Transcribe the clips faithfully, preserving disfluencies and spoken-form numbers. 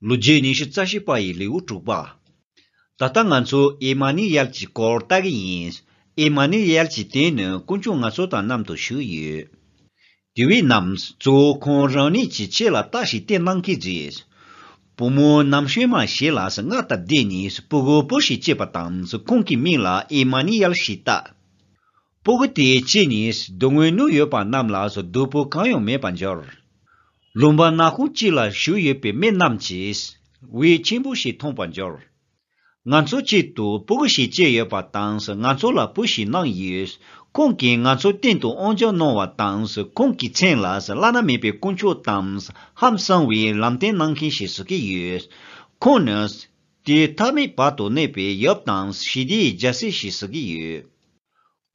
ལོ་རྒྱུས་ཉི་ཤུ་རྩ་བཞི་པ་ཡི་ལེའུ་དྲུག་པ། ད་ལྟ་ང་ཚོ་ཨེ་མ་ནི་ཡལ་གྱི་སྐོར་ལྟ་གི་ཡིན། ཨེ་མ་ནི་ཡལ་གྱི་དོན་ནི་དཀོན་མཆོག་ང་ཚོ་དང་མཉམ་དུ་བཞུགས་ཡོད། དེ་བས་ན་གཙོ་བོ་ཁོང་རང་ཉིད་ཀྱི་ཆེད་ལ་རྟགས་ཤིག་བསྟན་གནང་གི་རེད། བུ་མོ་ནམ་ཤོས་མ་ཞིག་ལ་སྔར་དང་འདྲ་ནས་ཕྲུ་གུ་བུ་ཞིག་སྐྱེས་པ་དང་ཁོང་གི་མིང་ལ་ཨེ་མ་ནི་ཡལ་ཞེས་བཏགས། ཕྲུ་གུ་དེ་སྐྱེས་ནས་སྡུག་བསྔལ་མྱོང་ཡོད་པ་རྣམས་ལ་སྡུག་པོ་གང་ཡང་མེད་པར་འགྱུར། ལུང་པ་ནག་ཁུང་གཅིག་ལ་བཞུགས་ཡོད་པའི་མི་རྣམས་ཀྱིས་འོད་ཆེན་པོ་ཞིག་མཐོང་བར་འགྱུར། ང་ཚོའི་ཆེད་དུ་ཕྲུ་གུ་ཞིག་སྐྱེས་ཡོད་པ་དང་ང་ཚོ་ལ་བུ་ཞིག་གནང་ཡོད། ཁོང་གིས་ང་ཚོའི་སྟེང་དུ་དབང་བསྒྱུར་གནང་བ་དང་ཁོང་གི་མཚན་ལ་བླ་ན་མེད་པའི་དཀོན་མཆོག་དང་ཧང་སང་བའི་ལམ་སྟོན་གནང་མཁན་ཞེས་ཟེར་གྱི་ཡོད། ཁོང་ནི་དུས་མཐའ་མེད་བར་དུ་གནས་པའི་ཡབ་དང་ཞི་བདེའི་རྒྱལ་སྲས་ཞེས་ཟེར་གྱི་ཡོད།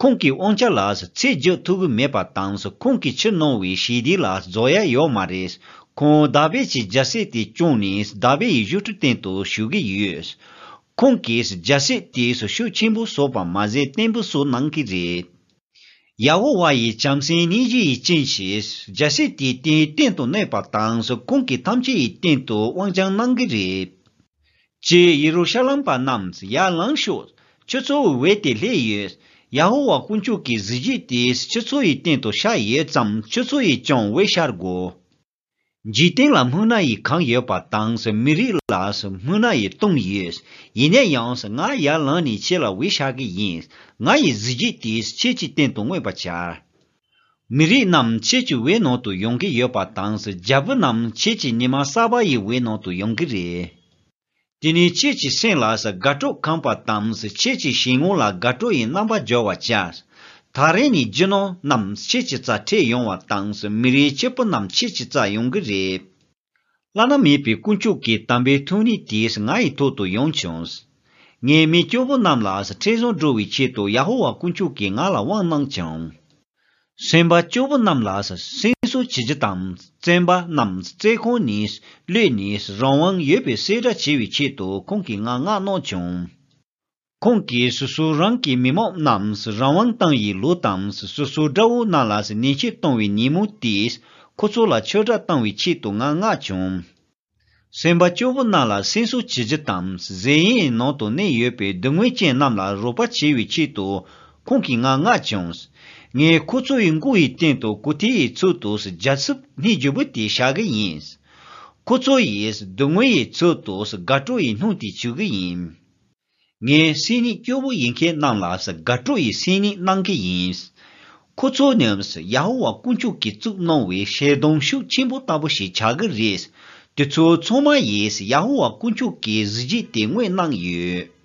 ཁོང་གི་དབང་ཆ་ལ་ཚད་བརྒྱབ་ཐུབ་ཀྱི་མེད་པ་དང་ཁོང་གིས་ཕྱིར་གནང་བའི་ཞི་བདེ་ལ་རྫོགས་ཡ་ཡོད་མ་རེད། ཁོང་དཱ་བིད་ཀྱི་རྒྱལ་སྲིད་དེ་སྐྱོང་ནས་དཱ་བིད་ཡི་ཡུལ་གྲུ་སྟེང་དུ་བཞུགས་ཀྱི་ཡོད། ཁོང་གིས་རྒྱལ་སྲིད་དེ་ཤུགས་ཆེན་པོ་སོགས་པ་མ་ཟད་བརྟན་པོ་སོགས་གནང་གི་རེད། ཡ་ཧོ་ཝཱ་ཡི་བྱམས་སེམས་སྙིང་རྗེ་ཡི་རྐྱེན་གྱིས་རྒྱལ་སྲིད་དེ་དེའི་སྟེང་དུ་གནས་པ་དང་ཁོང་གིས་ཐམས་ཅད་ཡི་སྟེང་དུ་དབང་བསྒྱུར་གནང་གི་རེད། ཀྱེ་ཡེ་རུ་ཤ་ལམ་པ་རྣམས་ཡར་ལངས་ཤོག་ཁྱོད་ཚོའི་འོད་དེ་སླེབས་ཡོད། ཡ་ཧོ་ཝཱ་དཀོན་མཆོག་གི་གཟི་བརྗིད་དེ་ཁྱོད་ཚོ་ཡི་སྟེང་དུ་ཤར་ཡོད་ཙང་ཁྱོད་ཚོ་ཡིས་ཀྱང་འོད་ཤར་དགོས། འཇིག་རྟེན་ལ་སྨུག་ནག་ཡིས་གང་ཡོད་པ་དང་མི་རིགས་ལ་སྨུག་ནག་ཡིས་བཏུམས་ཡོད། ཡིན་ན་ཡང་ང་ཡར་ལངས་ནས་ཁྱེད་ལ་འོད་ཤར་གི་ཡིན། ང་ཡི་གཟི་བརྗིད་དེ་ཁྱེད་ཀྱི་སྟེང་དུ་མངོན་པར་བྱ། མི་རིགས་རྣམས་ཁྱེད་ཀྱི་འོད་ནང་དུ་ཡོང་གི་ཡོད་པ་དང་རྒྱལ་པོ་རྣམས་ཁྱེད་ཀྱི་ཉི་མ་གསར་པ་ཡི་འོད་ནང་དུ་ཡོང་གི་རེད། དེ་ནས་ཁྱེད་ཀྱི་སེམས་ལ་དགའ་སྤྲོ་ཁེངས་པ་དང་ཁྱེད་ཀྱི་ཞལ་ངོ་ལ་དགའ་སྤྲོ་ཡི་རྣམ་པ་འཇོག་པར་བྱ། ད་རེས་ནས་རྒྱུ་ནོར་རྣམས་ཁྱེད་ཀྱི་རྩར་ཁྲིད་ཡོང་བ་དང་མི་རིགས་སྐྱོ་པོ་རྣམས་ཁྱེད་ཀྱི་རྩར་ཡོང་གི་རེད། བླ་ན་མེད་པའི་དཀོན་མཆོག་གི་དམ་པའི་ཐུགས་ཉིད་དེ་ངའི་ཐོག་ཏུ་ཡོང་བྱུང་། ངས་མི་སྐྱོ་པོ་རྣམས་ལ་ཁྲེལ་བཟང་འགྲོ་བའི་ཆེད་དུ་ཡ་ཧོ་ཝཱ་དཀོན་མཆོག་གིས་ང་ལ་དབང་གནང་བྱུང་། སེམས་པ་སྐྱོ་པོ་རྣམས་ལ་སེམས་གསོ་བྱེད་རྒྱུ་དང་བཙོན་པ་རྣམས་བཙོན་ཁང་ནས་གློད་ནས་རང་དབང་ཡོད་པའི་གསལ་བསྒྲགས་བྱེད་པའི་ཆེད་དུ་ཁོང་གིས་ང་མངགས་གནང་བྱུང་། ཁོང་གིས་སོ་སོ་རང་གི་མི་མང་རྣམས་རང་དབང་བཏང་བའི་ལོ་དང་སོ་སོའི་དགྲ་བོ་རྣམས་ལ་ཉེས་ཆད་གཏོང་བའི་ཉིན་མོ་དེས་ཁོ་ཚོ་ལ་ཆོས་སྒྲ་བཏང་བའི་ཆེད་དུ་ང་མངགས་བྱུང་། སེམས་པ་སྐྱོ་པོ་རྣམས་ལ་སེམས་གསོ་བྱེད་རྒྱུ་དང་གཟན་ཡིན་ནང་དུ་གནས་ཡོད་པའི་སྡུག་བསྔལ་ཅན་རྣམས་ལ་རོགས་པ་བྱེད་པའི་ཆེད་དུ་ཁོང་གིས་ང་མངགས་བྱུང་། ངས་ཁོ་ཚོ་ཡི་མགོ་ཡི་སྟེང་དུ་གོ་ཐོས་ཡི་ཚུལ་དུ་རྒྱ་ཚབ་སྙིང་རྗེ་པོ་དེ་བཞག་གི་ཡིན། ཁོ་ཚོ་ཡིས་སྡུག་བསྔལ་ཡི་ཚུལ་དུ་དགའ་སྤྲོ་ཡི་སྣུམ་དེ་བྱུག་གི་ཡིན། ངའི་སེམས་ཉིད་སྐྱོ་བོ་ཡིན་མཁན་རྣམས་ལ་དགའ་སྤྲོ་ཡི་སེམས་ཉིད་གནང་གི་ཡིན། ཁོ་ཚོ་ནི་ཡ་ཧོ་ཝཱ་དཀོན་མཆོག་གིས་བཙུགས་གནང་བའི་ཞལ་གདམས་ཤུགས་ཆེན་པོ་ལྟ་བུ་ཞིག་ཆགས་ཀྱི་རེད། དེ་ཚོ་ཚང་མ་ཡིས་ཡ་ཧོ་ཝཱ་དཀོན་མཆོག་གི་གཟི་བརྗིད་དེ་མངོན་གནང་ཡོད།